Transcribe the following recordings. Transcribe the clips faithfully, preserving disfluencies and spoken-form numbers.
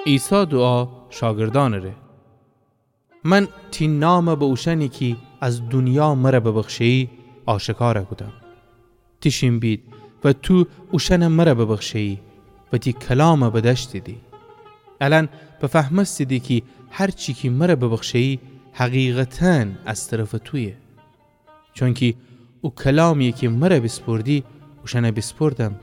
عیسی دوعا شاگردأنٚ ره. من تی نام به اوشأنی کی از دونیا مر ببخشه‌یی آشکار کودم. تیشین بید و تو اوشأن مر ببخشه‌یی و تی کلام بدأشتیدی. الأن بفهمستیدی کی هر چی کی مر ببخشه‌یی حقیقتاً از طرفٚ تویه. چونکی او کلامی کی مر بیسپردی، اوشأن بیسپردم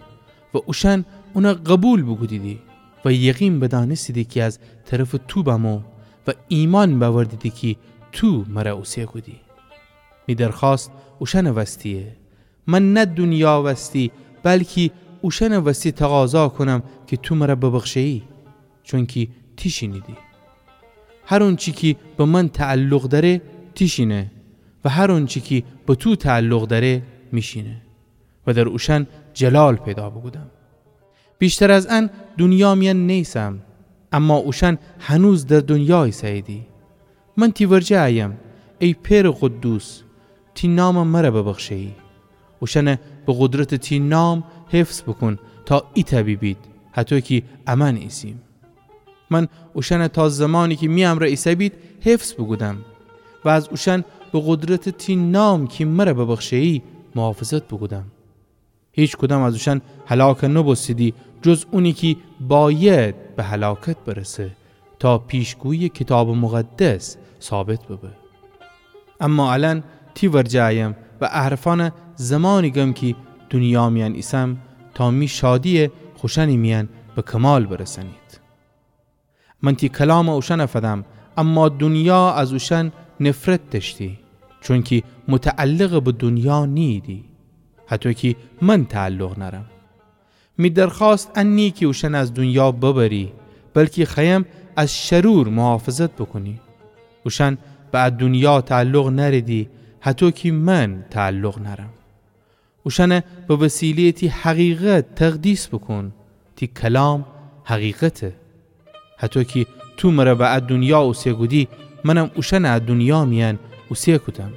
و اوشأن اون قوبیل بوکودیدی و یقین بدأنستیدی کی از طرفٚ تو بمو و ایمأن بأوردیدی کی تو مر اوسه کودی. می درخوأست اوشأنٚ وستیه. من نه دونیا وستی، بلکی اوشأنٚ وستی تقاضا کونم کی تو مر ببخشه‌یی، چونکی تیشینیدی. هر اونچی کی به من تعلق دأره، تیشینه و هر اونچی کی به تو تعلق دأره، میشینه و در اوشأن جلال پیدا بوکودم. ویشتر از ان دونیا میأن نیسم، اما اوشأن هنوز در دونیا ایسه‌ییدی. من تی ورجه أیم، ای پئرٚ قدوس، تی نام مر ببخشه‌یی. اوشأن به قدرتٚ تی نام حفظ بوکون تا ایتأ بیبید، هطو کی امأن ایسیم. من اوشأن تا زمانی کی می امرأ ایسه‌بید حفظ بوکودم و از اوشأن به قدرتٚ تی نام کی مر ببخشه‌یی محافظت بوکودم. هیکدام از اوشأن هلاک نوبوستیدی، جز اونی کی بأید به هلاکت برسه، تا پیشگویی کیتابٚ مقدس ثابت ببه. اما الأن تی ورجه أیم و ا حرفأن زمانی گم کی دونیا میأن ایسم، تا می شادی خوشأنی میأن به کمال برسأنید. من تی کلام اوشأن فدم، اما دونیا از اوشأن نفرت دأشتی، چونکی متعلق به دونیا نیییدی، هطو کی من تعلق نأرم. می درخوأست ان نییه کی اوشأن از دونیا ببری، بلکی خوأیم از شرور محافظت بوکونی. اوشأن به ا دونیا تعلق نأریدی، هطو کی من تعلق نأرم. اوشأن به وسیله‌یٚ تی حقیقت تقدیس بوکون. تی کلام حقیقته. هطو کی تو مر به ا دونیا اوسه کودی، منم اوشأن ا دونیا میأن اوسه کودم.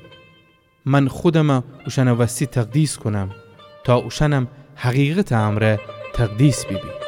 من خودم اوشأنٚ وستی تقدیس کونم، تا اوشأنم حقیقتٚ امرأ تقدیس بیبید.